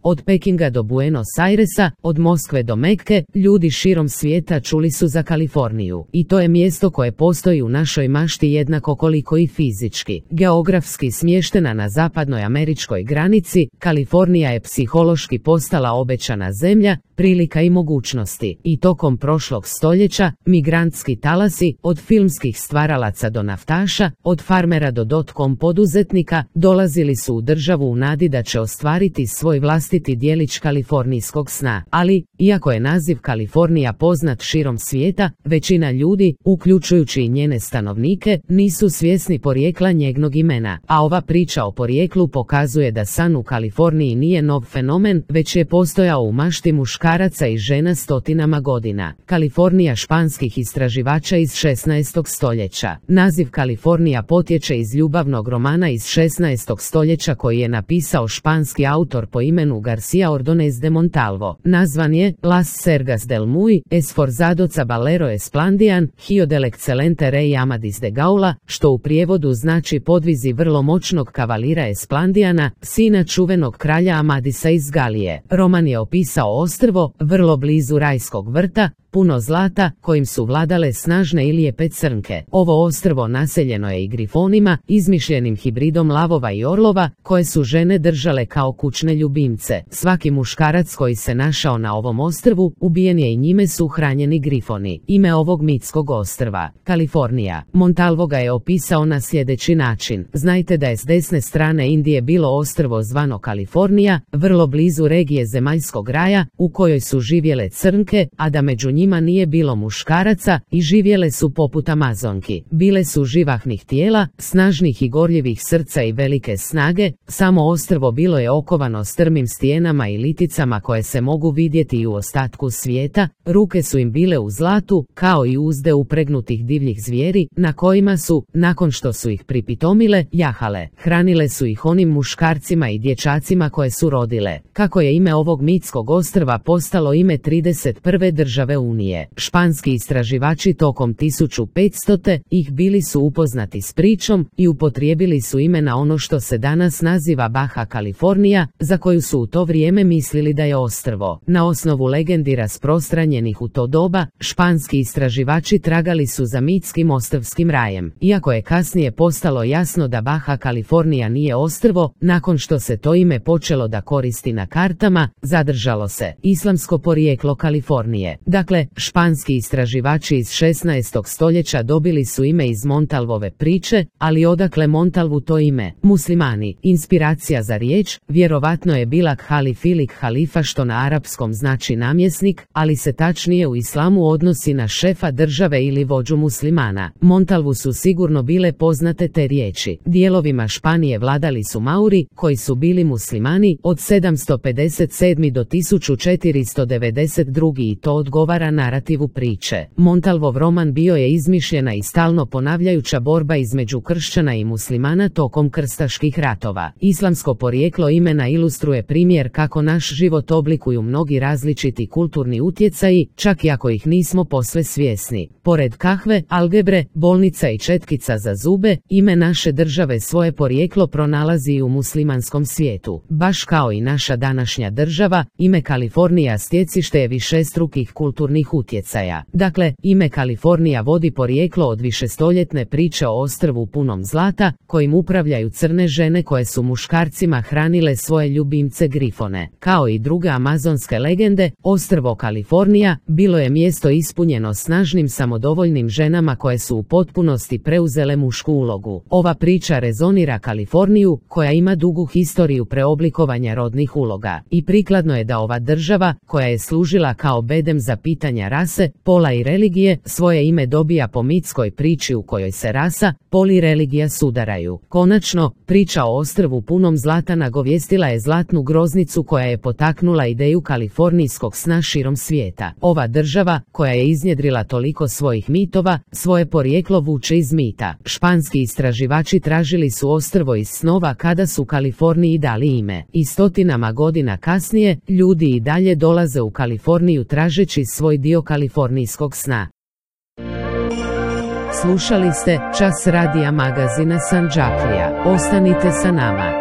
Od Pekinga do Buenos Airesa, od Moskve do Mekke, ljudi širom svijeta čuli su za Kaliforniju. I to je mjesto koje postoji u našoj mašti jednako koliko i fizički. Geografski smještena na zapadnoj američkoj granici, Kalifornija je psihološki postala obećana zemlja, prilika i mogućnosti. I tokom prošlog stoljeća, migrantski talasi, od filmskih stvaralaca do naftaša, od farmera do dotcom poduzetnika, dolazili su u državu u nadi da će ostvariti svoj vlastiti djelić kalifornijskog sna. Ali, iako je naziv Kalifornija poznat širom svijeta, većina ljudi, uključujući i njene stanovnike, nisu svjesni porijekla njegovog imena. A ova priča o porijeklu pokazuje da san u Kaliforniji nije nov fenomen, već je postojao u mašti muškaraca i žena stotinama godina. Kalifornija španskih istraživača iz 16. stoljeća. Naziv Kalifornija potječe iz ljubavnog romana iz 16. stoljeća koji je napisao španski autor po imenu García Ordóñez de Montalvo. Nazvan je Las Sergas del Muy esforzados caballero esplandian, hijo del excelente rey Amadis de Gaula, što u prijevodu znači podvizi vrlo moćnog kavalira Esplandiana, sina čuvenog kralja Amadisa iz Galije. Roman je opisao ostrvo, vrlo blizu rajskog vrta, puno zlata, kojim su vladale snažne i lijepe crnke. Ovo ostrvo naseljeno je i grifonima, izmišljenim hibridom lavova i orlova, koje su žene držale kao kućne ljubimce. Svaki muškarac koji se našao na ovom ostrvu, ubijen je i njime su hranjeni grifoni. Ime ovog mitskog ostrva, Kalifornija. Montalvo ga je opisao na sljedeći način. Znajte da je s desne strane Indije bilo ostrvo zvano Kalifornija, vrlo blizu regije zemaljskog raja, u kojoj su živjele crnke, a da među njima nije bilo muškaraca i živjele su poput Amazonki. Bile su živahnih tijela, snažnih i gorljivih srca i velike snage, samo ostrvo bilo je okovano strmim stijenama i liticama koje se mogu vidjeti i u ostatku svijeta, ruke su im bile u zlatu, kao i uzde upregnutih divljih zvijeri, na kojima su, nakon što su ih pripitomile, jahale. Hranile su ih onim muškarcima i dječacima koje su rodile. Kako je ime ovog mitskog ostrva postalo ime 31. države Unije. Španski istraživači tokom 1500. ih bili su upoznati s pričom i upotrijebili su ime na ono što se danas naziva Baja Kalifornija, za koju su u to vrijeme mislili da je ostrvo. Na osnovu legendi rasprostranjenih u to doba, španski istraživači tragali su za mitskim ostrvskim rajem. Iako je kasnije postalo jasno da Baja Kalifornija nije ostrvo, nakon što se to ime počelo da koristi na kartama, zadržalo se islamsko porijeklo Kalifornije. Dakle, španski istraživači iz 16. stoljeća dobili su ime iz Montalvove priče, ali odakle Montalvu to ime? Muslimani. Inspiracija za riječ vjerovatno je bila khalif ili halifa, što na arapskom znači namjesnik, ali se tačnije u islamu odnosi na šefa države ili vođu muslimana. Montalvu su sigurno bile poznate te riječi. Dijelovima Španije vladali su Mauri, koji su bili muslimani od 757. do 1492. i to odgovara narativu priče. Montalvov roman bio je izmišljena i stalno ponavljajuća borba između kršćana i muslimana tokom krstaških ratova. Islamsko porijeklo imena ilustruje primjer kako naš život oblikuju mnogi različiti kulturni utjecaji, čak i ako ih nismo posve svjesni. Pored kahve, algebre, bolnica i četkica za zube, ime naše države svoje porijeklo pronalazi i u muslimanskom svijetu. Baš kao i naša današnja država, ime Kalifornija stjecište je višestrukih kulturnih utjecaja. Dakle, ime Kalifornija vodi porijeklo od višestoljetne priče o ostrvu punom zlata, kojim upravljaju crne žene koje su muškarcima hranile svoje ljubimce grifone. Kao i druge amazonske legende, ostrvo Kalifornija bilo je mjesto ispunjeno snažnim samodovoljnim ženama koje su u potpunosti preuzele mušku ulogu. Ova priča rezonira Kaliforniju, koja ima dugu historiju preoblikovanja rodnih uloga. I prikladno je da ova država, koja je služila kao bedem za pitanja rase, pola i religije, svoje ime dobija po mitskoj priči u kojoj se rasa, pol i religija sudaraju. Konačno, priča o ostrvu punom zlata nagovijestila je zlatnu groznicu koja je potaknula ideju kalifornijskog sna širom svijeta. Ova država, koja je iznjedrila toliko svojih mitova, svoje porijeklo vuče iz mita. Španski istraživači tražili su ostrvo iz snova kada su Kaliforniji dali ime. I stotinama godina kasnije, ljudi i dalje dolaze u Kaliforniju tražeći svoj dio kalifornijskog sna. Slušali ste Čas radija magazina Sandžaklija. Ostanite sa nama.